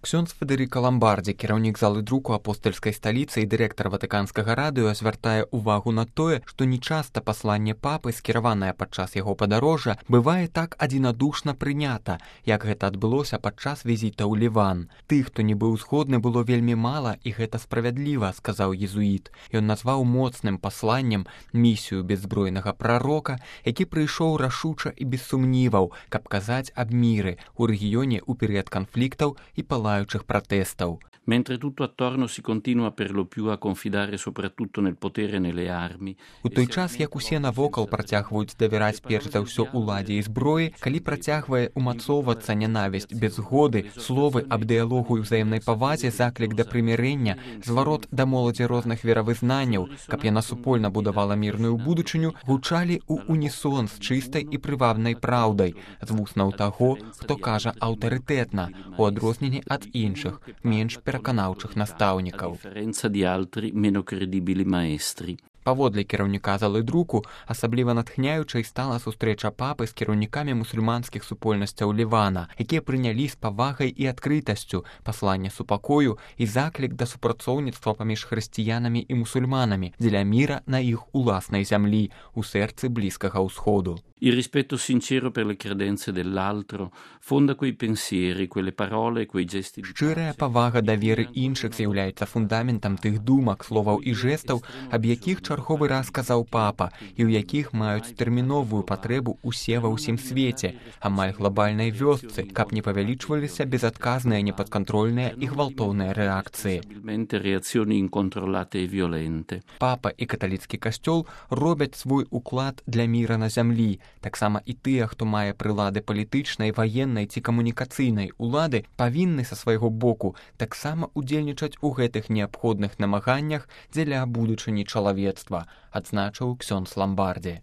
Ксёндз Федэрыка Ламбардзі, кіраўнік залы друку апостальскай сталіцы і дырэктар ватыканскага радыё, звяртае ўвагу на тое, што нечаста пасланне папы, скіраванае падчас яго падарожжа, бывае так адзінадушна прынята, як гэта адбылося падчас візіта ў Ліван. Тых, хто не быў згодны, было вельмі мала, і гэта справядліва, сказаў езуіт. Ён назваў моцным пасланнем місію бяззбройнага прарока, які прыйшоў рашуча і без сумніваў, каб казаць аб міры ў рэгіёне ў перыяд канфліктаў і палаючых пратэстаў. Mentre tutto attorno si continua per lo più a confidare soprattutto nel potere e nelle armi. У той час, як усе навокал працягваюць давяраць перш за ўсё уладзе і зброі, калі працягвае умацоўвацца нянавісць без згоды, словы аб дыялогу і ўзаемнай павазе, заклік да прымірэння, зварот да моладзі розных веравызнанняў, каб яна супольна будавала мірную будучыню, гучалі ў унісон з чыстай і прывабнай праўдай, з вуснаў таго, хто кажа аўтарытэтна, у адрозненні ад іншых, менш пераканаўчых настаўнікаў. Паводле кіраўніка залы друку, асабліва натхняючай стала сустрэча папы з кіраўнікамі мусульманскіх супольнасцяў Лівана, якія прынялі з павагай і адкрытасцю пасланне супакою і заклік да супрацоўніцтва паміж хрысціянамі і мусульманамі дзеля міра на іх уласнай зямлі, у сэрцы Блізкага ўсходу. Il rispetto sincero per le credenze dell'altro fonda quei pensieri, quelle parole, quei gesti. Шчырая павага да веры іншых з'яўляецца фундаментам тых думак, словаў і жэстаў, аб якіх чарговы раз казаў папа, і ў якіх маюць тэрміновую патрэбу усе ва ўсім свеце, амаль глобальнай вёсцы, каб не павялічваліся безадказныя, непадкантрольныя і гвалтоўныя рэакцыі. Папа і каталіцкі касцёл робяць свой уклад для міра на зямлі. Таксама і тыя, хто мае прылады палітычнай, ваеннай ці камунікацыйнай улады, павінны са свайго боку таксама удзельнічаць у гэтых неабходных намаганнях дзеля будучыні чалавецтва, адзначыў ксёндз Ламбардзі.